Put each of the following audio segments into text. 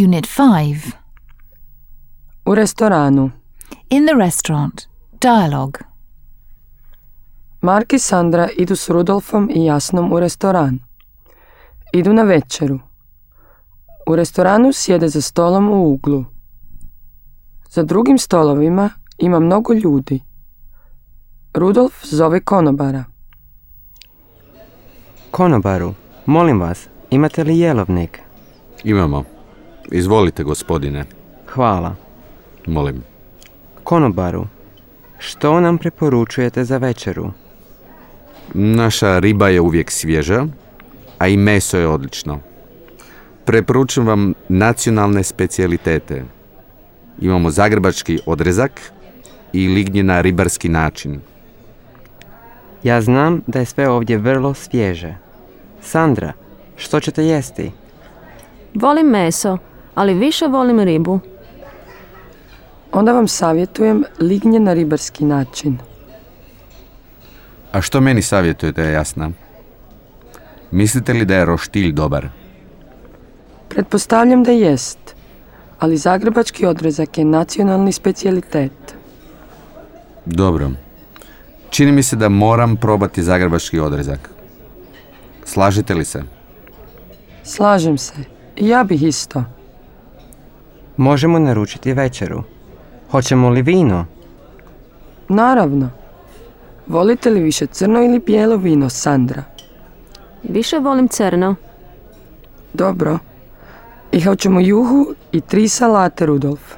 Unit 5. U restoranu. In the restaurant. Dialogue. Mark i Sandra idu s Rudolfom i Jasnom u restoran. Idu na večeru. U restoranu sjede za stolom u uglu. Za drugim stolovima ima mnogo ljudi. Rudolf zove konobara. Konobaru, molim vas, imate li jelovnik? Imamo. Izvolite, gospodine. Hvala. Molim. Konobaru, što nam preporučujete za večeru? Naša riba je uvijek svježa, a i meso je odlično. Preporučujem vam nacionalne specijalitete. Imamo zagrebački odrezak i lignje na ribarski način. Ja znam da je sve ovdje vrlo svježe. Sandra, što ćete jesti? Volim meso, ali više volim ribu. Onda vam savjetujem lignje na ribarski način. A što meni savjetujete, Jasna? Mislite li da je roštilj dobar? Pretpostavljam da jest, ali zagrebački odrezak je nacionalni specijalitet. Dobro. Čini mi se da moram probati zagrebački odrezak. Slažete li se? Slažem se. I ja bih isto. Možemo naručiti večeru. Hoćemo li vino? Naravno. Volite li više crno ili bijelo vino, Sandra? Više volim crno. Dobro. I hoćemo juhu i 3 salate, Rudolf.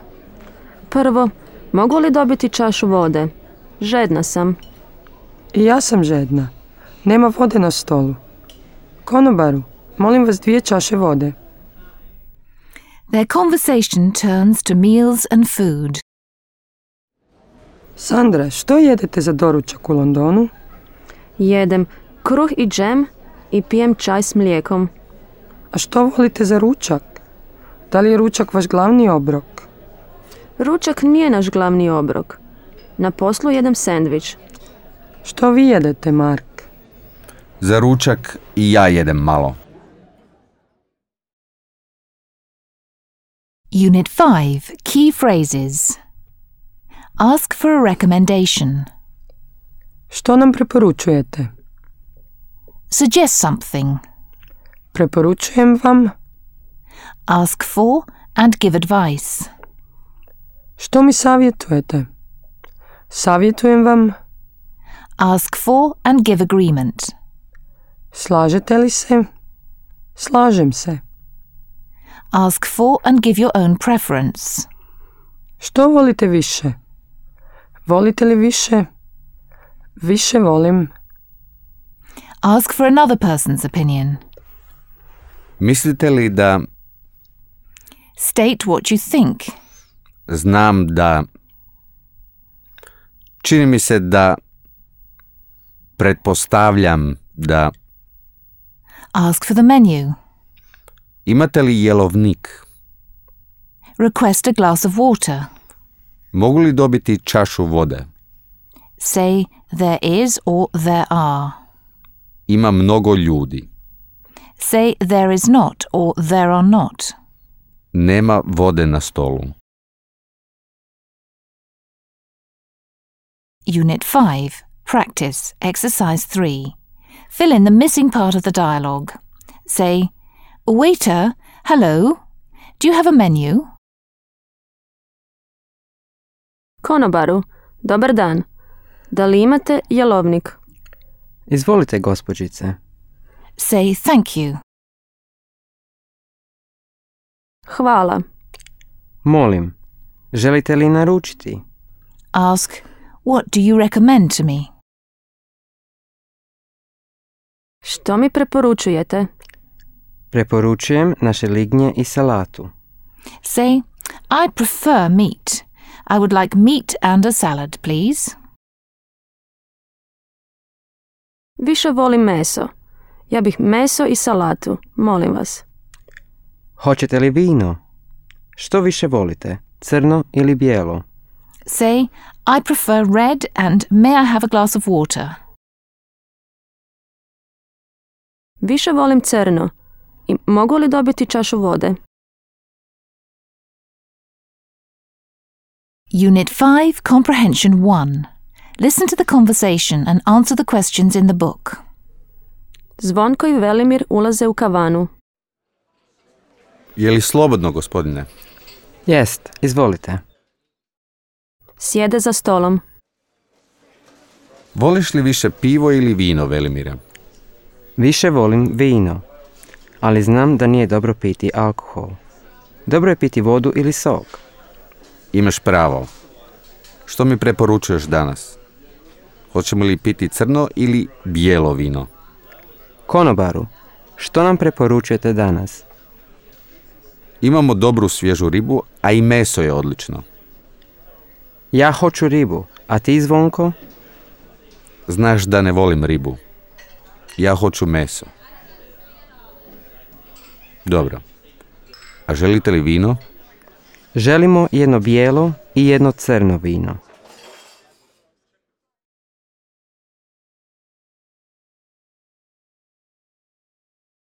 Prvo, mogu li dobiti čašu vode? Žedna sam. I ja sam žedna. Nema vode na stolu. Konobaru, molim vas 2 čaše vode. Their conversation turns to meals and food. Sandra, što jedete za doručak u Londonu? Jedem kruh i džem i pijem čaj s mlijekom. A što volite za ručak? Da li je ručak vaš glavni obrok? Ručak nije naš glavni obrok. Na poslu jedem sendvič. Što vi jedete, Mark? Za ručak i ja jedem malo. Unit 5. Key phrases. Ask for a recommendation. Što nam preporučujete? Suggest something. Preporučujem vam. Ask for and give advice. Što mi savjetujete? Savjetujem vam. Ask for and give agreement. Slažete li se? Slažem se. Ask for and give your own preference. Što volite više? Volite li više? Više volim. Ask for another person's opinion. Mislite li da... State what you think. Znam da... Čini mi se da... Pretpostavljam da... Ask for the menu. Imate li jelovnik? Request a glass of water. Mogu li dobiti čašu vode? Say there is or there are. Ima mnogo ljudi. Say there is not or there are not. Nema vode na stolu. Unit 5. Practice. Exercise 3. Fill in the missing part of the dialogue. Say, waiter, hello, do you have a menu? Konobaru, dobar dan. Da li imate jelovnik? Izvolite, gospođice. Say thank you. Hvala. Molim, želite li naručiti? Ask, what do you recommend to me? Što mi preporučujete? Preporučujem naše lignje i salatu. Say, I prefer meat. I would like meat and a salad, please. Više volim meso. Ja bih meso i salatu, molim vas. Hoćete li vino? Što više volite, crno ili bijelo? Say, I prefer red and may I have a glass of water? Više volim crno. I mogu li dobiti čašu vode? Unit 5, Comprehension 1. Listen to the conversation and answer the questions in the book. Zvonko i Velimir ulaze u kavanu. Je li slobodno, gospodine? Jest, izvolite. Sjede za stolom. Voliš li više pivo ili vino, Velimire? Više volim vino, ali znam da nije dobro piti alkohol. Dobro je piti vodu ili sok. Imaš pravo. Što mi preporučuješ danas? Hoćemo li piti crno ili bijelo vino? Konobaru, što nam preporučujete danas? Imamo dobru svježu ribu, a i meso je odlično. Ja hoću ribu, a ti, Zvonko? Znaš da ne volim ribu. Ja hoću meso. Dobro. A želite li vino? Želimo jedno bijelo i jedno crno vino.